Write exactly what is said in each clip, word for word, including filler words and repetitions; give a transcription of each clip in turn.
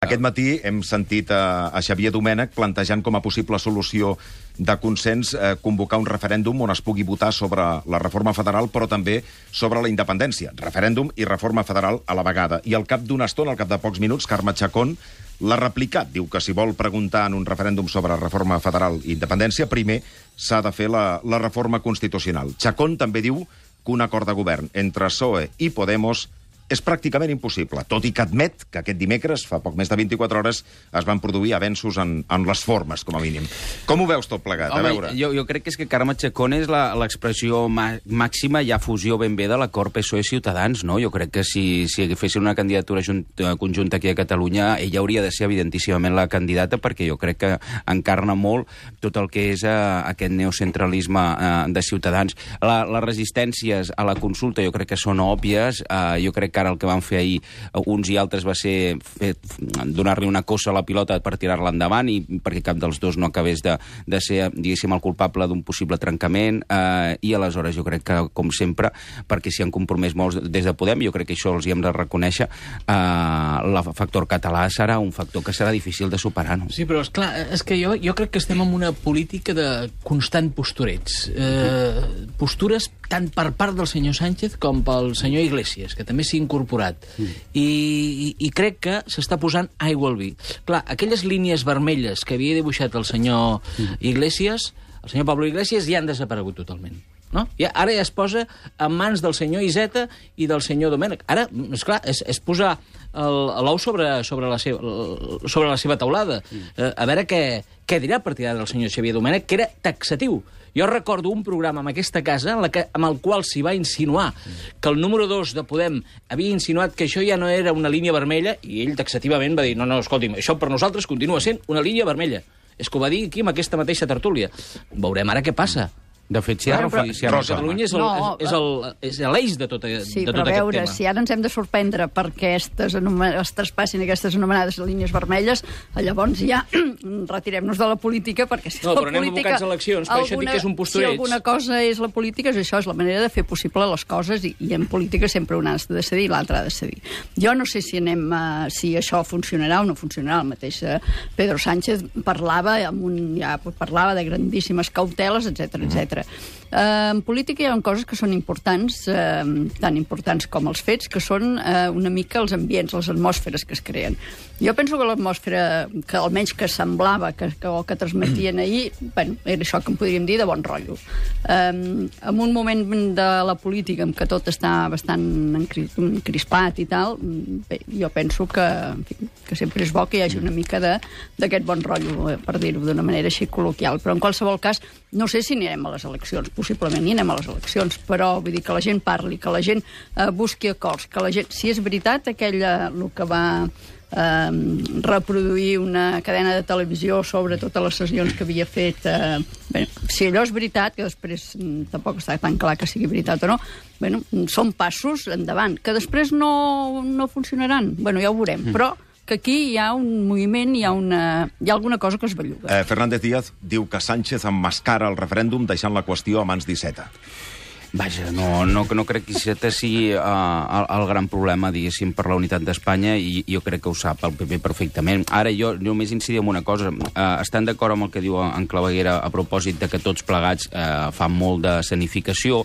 Aquest matí hem sentit a, a Xavier Domènech plantejant com a possible solució de consens eh, convocar un referèndum on es pugui votar sobre la reforma federal, però també sobre la independència. Referèndum i reforma federal a la vegada. I al cap d'una estona, al cap de pocs minuts, Carme Chacón l'ha replicat. Diu que si vol preguntar en un referèndum sobre reforma federal i independència, primer s'ha de fer la, la reforma constitucional. Chacón també diu que un acord de govern entre P S O E i Podemos és pràcticament impossible, tot i que admet que aquest dimecres, fa poc més de vint-i-quatre hores, es van produir avenços en, en les formes, com a mínim. Com ho veus tot plegat? Home, a veure. Jo, jo crec que és que Carme Chacón és l'expressió màxima, ja fusió ben bé de l'acord P S O E-Ciutadans, no? Jo crec que si, si fessin una candidatura junta, conjunta aquí a Catalunya, ella hauria de ser evidentíssimament la candidata, perquè jo crec que encarna molt tot el que és uh, aquest neocentralisme uh, de Ciutadans. La, les resistències a la consulta jo crec que són òbvies, uh, jo crec que ara el que van fer ahir uns i altres va ser donar-li una cosa a la pilota per tirar-la endavant i perquè cap dels dos no acabés de, de ser, diguéssim, el culpable d'un possible trencament eh, i aleshores jo crec que, com sempre, perquè s'hi han compromès molts des de Podem, jo crec que això els hi hem de reconèixer, eh, el factor català serà un factor que serà difícil de superar, no? Sí, però és clar, és que jo, jo crec que estem en una política de constant posturets. Eh, postures tant per part del senyor Sánchez com pel senyor Iglesias, que també s'hi ha incorporat. Mm. I, i, I crec que s'està posant aigua al vi. Clar, aquelles línies vermelles que havia dibuixat el senyor mm. Iglesias, el senyor Pablo Iglesias, ja han desaparegut totalment. No? Ja, ara ja es posa en mans del senyor Iceta i del senyor Domènech. Ara, esclar, és, és posar l'ou sobre, sobre, la seva, sobre la seva taulada. Mm. Eh, a veure què, què dirà a partir d'ara el senyor Xavier Domènech, que era taxatiu. Jo recordo un programa en aquesta casa en la que, amb el qual s'hi va insinuar que el número dos de Podem havia insinuat que això ja no era una línia vermella i ell taxativament va dir, no, no, escolti'm, això per nosaltres continua sent una línia vermella. És que ho va dir aquí amb aquesta mateixa tertúlia. Veurem ara què passa. De fet, si ara, bueno, però, si ara Catalunya és, el, no, és, el, és l'eix de tot, sí, de tot però aquest veure, tema. Si ara ens hem de sorprendre perquè aquestes es traspassin aquestes anomenades línies vermelles, llavors ja retirem-nos de la política, perquè si no, la però anem política... abocats a eleccions, per això dic que és un postureig. Si alguna cosa és la política, és això, és la manera de fer possible les coses, i, i en política sempre un ha de decidir i l'altre ha de decidir. Jo no sé si anem a, si això funcionarà o no funcionarà. El mateix Pedro Sánchez parlava, amb un, ja parlava de grandíssimes cauteles, etcètera, etcètera. Uh, en política hi ha coses que són importants, uh, tan importants com els fets, que són uh, una mica els ambients, les atmosferes que es creen. Jo penso que l'atmosfera, que almenys que semblava, que, que, o que transmetien ahir, bueno, era això que en podríem dir de bon rotllo. Um, en un moment de la política en què tot està bastant encrispat i tal, bé, jo penso que, en fi, que sempre és bo que hi hagi una mica d'aquest bon rotllo, per dir-ho d'una manera així col·loquial. Però en qualsevol cas, no sé si anirem a les eleccions, possiblement hi anem a les eleccions, però vull dir que la gent parli, que la gent eh, busqui acords, que la gent, si és veritat aquella, el que va eh, reproduir una cadena de televisió sobre totes les sessions que havia fet, eh, bé, si allò és veritat, que després mm, tampoc està tan clar que sigui veritat o no, bueno, són passos endavant, que després no, no funcionaran, bueno, ja ho veurem, mm. però que aquí hi ha un moviment, hi ha, una, hi ha alguna cosa que es belluga. Eh, Fernández Díaz diu que Sánchez emmascara el referèndum deixant la qüestió a mans d'Iceta. Vaja, no, no, no crec que Iceta sigui uh, el, el gran problema, diguéssim, per la unitat d'Espanya, i jo crec que ho sap el P P perfectament. Ara jo només incidir en una cosa. Uh, estan d'acord amb el que diu en Claveguera a propòsit de que tots plegats uh, fan molt de sanificació.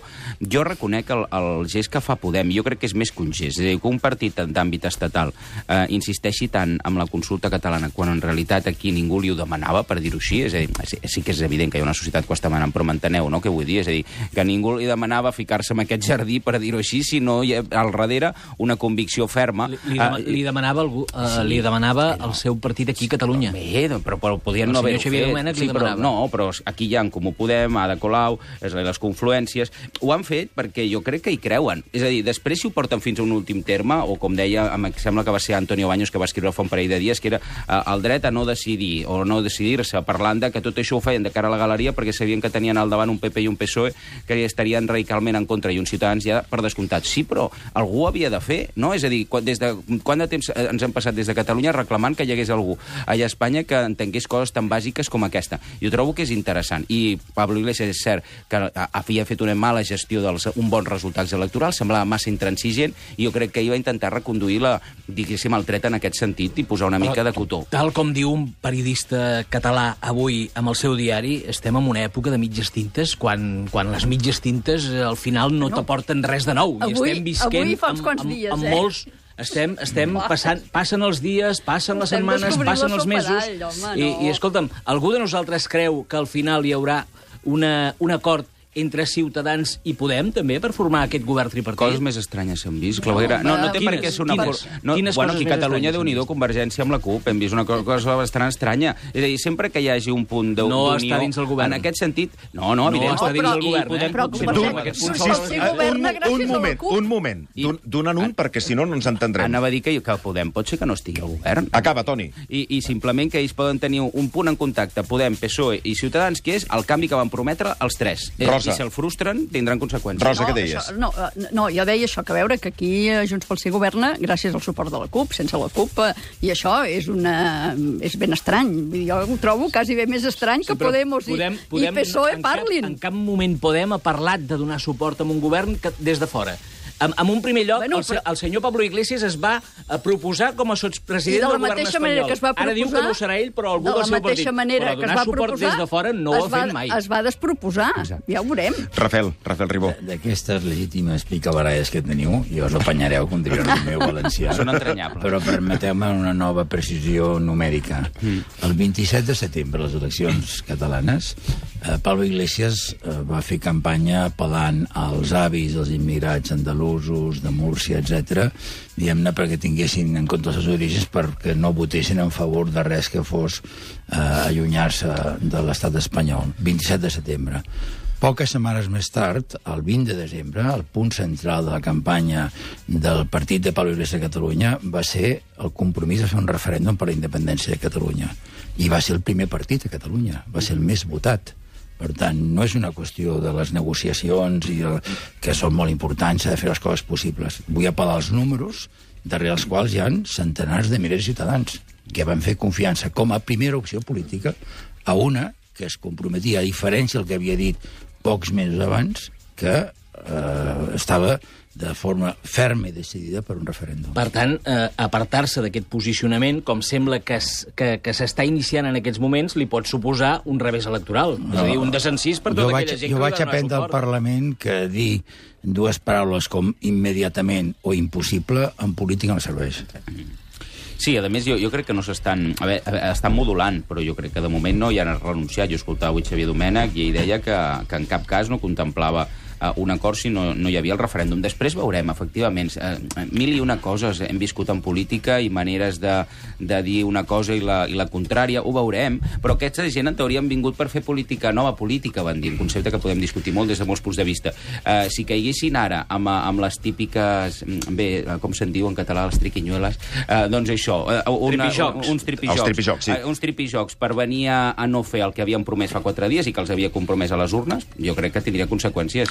Jo reconec el, el gest que fa Podem, jo crec que és més que un gest. És a dir, que un partit d'àmbit estatal uh, insisteixi tant amb la consulta catalana quan en realitat aquí ningú li ho demanava, per dir-ho així. És a dir, sí, sí que és evident que hi ha una societat que ho està demanant, però m'enteneu, no?, què vull dir? És a dir, que ningú li demanava a ficar-se en aquest jardí, per dir-ho així, sinó hi ha al darrere una convicció ferma. Li, li, uh, li demanava, algú, uh, sí, li demanava no. el seu partit aquí a Catalunya. Bé, però, però podien no haver-ho fet. Domènech sí, li però, no, però aquí hi ha en Comú Podem, Ada Colau, les confluències. Ho han fet perquè jo crec que hi creuen. És a dir, després si ho porten fins a un últim terme, o com deia, em sembla que va ser Antonio Baños que va escriure fa un parell de dies, que era uh, el dret a no decidir, o no decidir-se, parlant de que tot això ho feien de cara a la galeria perquè sabien que tenien al davant un P P i un P S O E que estarien radicalment en contra i uns ciutadans ja per descomptat. Sí, però algú ho havia de fer, no? És a dir, quan, des de, quant de temps ens hem passat des de Catalunya reclamant que hi hagués algú allà a Espanya que entengués coses tan bàsiques com aquesta. Jo trobo que és interessant. I Pablo Iglesias és cert que havia fet una mala gestió dels un bons resultats electorals, semblava massa intransigent, i jo crec que ell va intentar reconduir la, diguéssim, el tret en aquest sentit i posar una mica de cotó. Tal com diu un periodista català avui amb el seu diari, estem en una època de mitges tintes, quan, quan les mitges tintes al final no, no. t'aporten res de nou. Avui, I estem visquent avui fa uns amb, quants amb, dies, amb eh? molts... Estem, estem passant, passen els dies, passen les Estem setmanes, passen els mesos, descobrint la sopa d'all, home, i, no. i escolta'm, algú de nosaltres creu que al final hi haurà una, un acord entre Ciutadans i Podem, també, per formar aquest govern tripartit? Coses més estranyes s'han vist, Claveguera. No, no té quines, per què ser una... Quines, no, quines bueno, coses aquí a més Catalunya, estranyes Déu-n'hi-do, Convergència amb la CUP, hem vist una cosa bastant estranya. És a dir, sempre que hi hagi un punt d'unió... No està dins el govern. En aquest sentit... No, no, evidentment. No està dins però- el govern, Podem, eh? Però potser Convergència- no, aquest punt Sí, sol- sí, sí, un, governa gràcies un a la moment, CUP. un moment. I- Don- Dona'n un, perquè si no no ens entendrem. Anava a dir que, que Podem pot ser que no estigui al govern. Acaba, Toni. I, I simplement que ells poden tenir un punt en contacte, Podem, P S O E i Ciutadans, que és el canvi que van prometre els tres. Eh, Rosa. I si el frustren, tindran conseqüències. Rosa, què No, deies? això, no, eh, no, jo deia això, que a veure que aquí eh, Junts pel Sí governa gràcies al suport de la CUP, sense la CUP, eh, i això és, una, és ben estrany. Vull dir, jo ho trobo quasi bé més estrany que però Podemos i, Podem- i Podem P S O E en cap- parlin. En cap moment Podem ha parlat de donar suport a un govern que, des de fora. En, en un primer lloc, Bueno, el, se- però- el senyor Pablo Iglesias es va a proposar com a I sotspresident de la del govern mateixa espanyol. manera que es va proposar... Ara diu que no serà ell, però algú de del la seu partit. mateixa manera Però que es donar va suport proposar, des de fora no ho es ha va, fet mai. Es va desproposar. Exacte. Ja ho veurem. Rafael, Rafael Ribó. D'aquestes legítimes picabaralles que teniu, i us apanyareu, com diria el meu valencià. Són entranyables. Però permeteu-me una nova precisió numèrica. El vint-i-set de setembre, les eleccions catalanes, eh, Pablo Iglesias eh, va fer campanya apel·lant als avis dels immigrats andalusos, de Múrcia, etcètera, diguem-ne, perquè tinguessin en compte els seus orígens, perquè no votessin en favor de res que fos eh, allunyar-se de l'estat espanyol. vint-i-set de setembre. Poques setmanes més tard, el vint de desembre, el punt central de la campanya del partit de Pablo Iglesias a Catalunya va ser el compromís de fer un referèndum per la independència de Catalunya. I va ser el primer partit a Catalunya, va ser el més votat. Per tant, no és una qüestió de les negociacions i el, que són molt importants, s'ha de fer les coses possibles. Vull apel·lar als números, darrere els quals hi ha centenars de milers de ciutadans que van fer confiança com a primera opció política a una que es comprometia, a diferència del que havia dit pocs mesos abans, que eh, estava de forma ferma i decidida per un referèndum. Per tant, eh, apartar-se d'aquest posicionament, com sembla que es- que que s'està iniciant en aquests moments, li pot suposar un revés electoral. No. És a dir, un desencís per jo tota vaig, aquella gent jo que vaig li va donar aprendre al suport. Parlament que dir dues paraules com immediatament o impossible en política no serveix. Sí, a més, jo, jo crec que no s'estan... A veure, estan modulant, però jo crec que de moment no hi han renunciat. Jo escoltava avui Xavier Domènech i ell deia que, que en cap cas no contemplava uh, un acord si no, no hi havia el referèndum. Després veurem, efectivament, uh, mil i una coses hem viscut en política i maneres de, de dir una cosa i la, i la contrària, ho veurem, però aquesta gent en teoria han vingut per fer política, nova política, van dir, un concepte que podem discutir molt des de molts punts de vista. Uh, si caiguessin ara amb, amb les típiques, bé, com se'n diu en català, les triquinyueles, uh, doncs això, uh, una, Tripijocs. uns tripijocs. Els tripijocs, sí. Uh, uns tripijocs per venir a, a no fer el que havien promès fa quatre dies i que els havia compromès a les urnes, jo crec que tindria conseqüències.